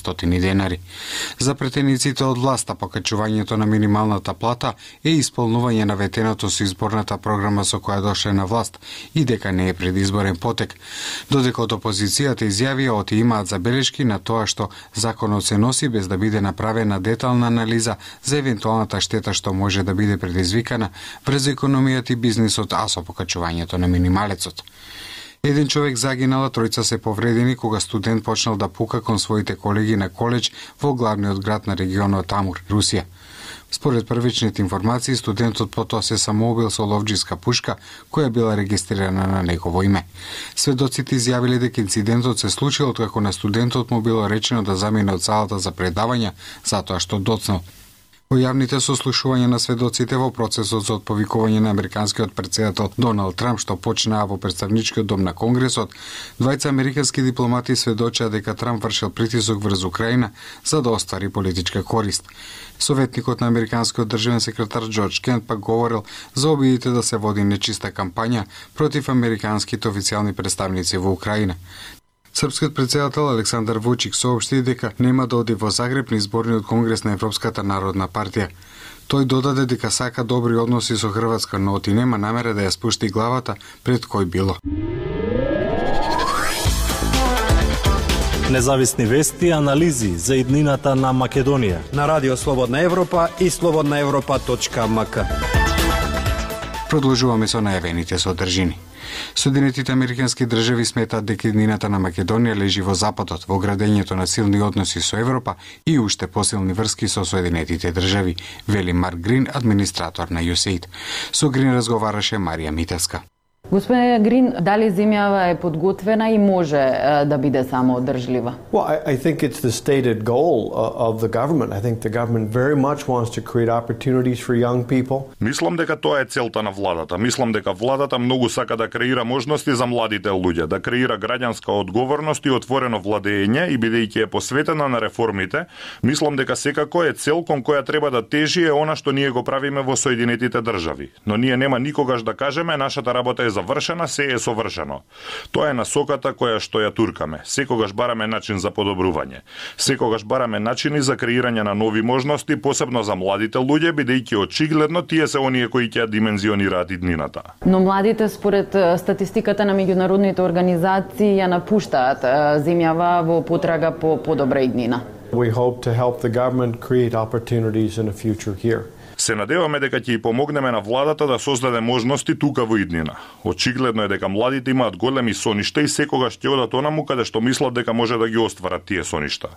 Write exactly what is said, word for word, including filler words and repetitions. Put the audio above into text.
стотини денари. За претениците од власта, покачувањето на минималната плата е исполнување на ветеното со изборната програма со која дошле на власт и дека не е предизборен потек. Додека од опозицијата изјавија оти имаат забелешки на тоа што законот се носи без да биде направена детална анализа за евентуалната штета што може да биде предизвикана врз економијата и бизнисот, а со покачувањето на минималецот. Еден човек загинал, а тројца се повредени кога студент почнал да пука кон своите колеги на коледж во главниот град на регионот Амур, Русија. Според првичните информации, студентот потоа се самоубил со ловџиска пушка која била регистрирана на негово име. Сведоците изјавиле дека инцидентот се случил откако на студентот му било речено да замине од салата за предавања затоа што доцнал. Во јавните сослушувања на сведоците во процесот за отповикување на американскиот претседател Доналд Трамп што почнаа во представничкиот дом на Конгресот, двајца американски дипломати сведочаа дека Трамп вршил притисок врз Украина за да оствари политичка корист. Советникот на американскиот државен секретар Џорџ Кент пак говорил за обидите да се води нечиста кампања против американските официјални представници во Украина. Српскиот претседател Александар Вучик соопшти дека нема да оди во Загреб на изборниот конгрес на Европската народна партија. Тој додаде дека сака добри односи со Хрватска, но оти нема намера да ја спушти главата пред кој било. Независни вести и анализи за иднината на Македонија на Радио Слободна Европа и слободна европа точка ем ка. Продолжуваме со најавените содржини. Соединетите американски држави сметаат дека иднината на Македонија лежи во Западот, во градењето на силни односи со Европа и уште посилни врски со Соединетите држави, вели Марк Грин, администратор на ю ес ей ид. Со Грин разговараше Марија Митевска. Господине Грин, дали земјава е подготвена и може да биде самоодржлива? Well, I, I think it's the stated goal of the government. I think the government very much wants to create opportunities for young people. Мислам дека тоа е целта на владата. Мислам дека владата многу сака да креира можности за младите луѓе, да креира граѓанска одговорност и отворено владење и бидејќи е посветена на реформите, мислам дека секако е цел кон која треба да тежи е она што ние го правиме во Соединетите држави. Но ние нема никогаш да кажеме нашата работа е завршена, се е совршено. Тоа е насоката која што ја туркаме. Секогаш бараме начин за подобрување. Секогаш бараме начини за креирање на нови можности, посебно за младите луѓе, бидејќи очигледно тие се оние кои ќе димензионираат иднината. Но младите според статистиката на меѓународните организации ја напуштаат земјава во потрага по подобра иднина. We hope to help the government create opportunities in a future here. Се надеваме дека ќе ја помогнеме на владата да создаде можности тука во иднина. Очигледно е дека младите имаат големи соништа и секогаш ќе одат онаму каде што мислат дека може да ги остварат тие соништа.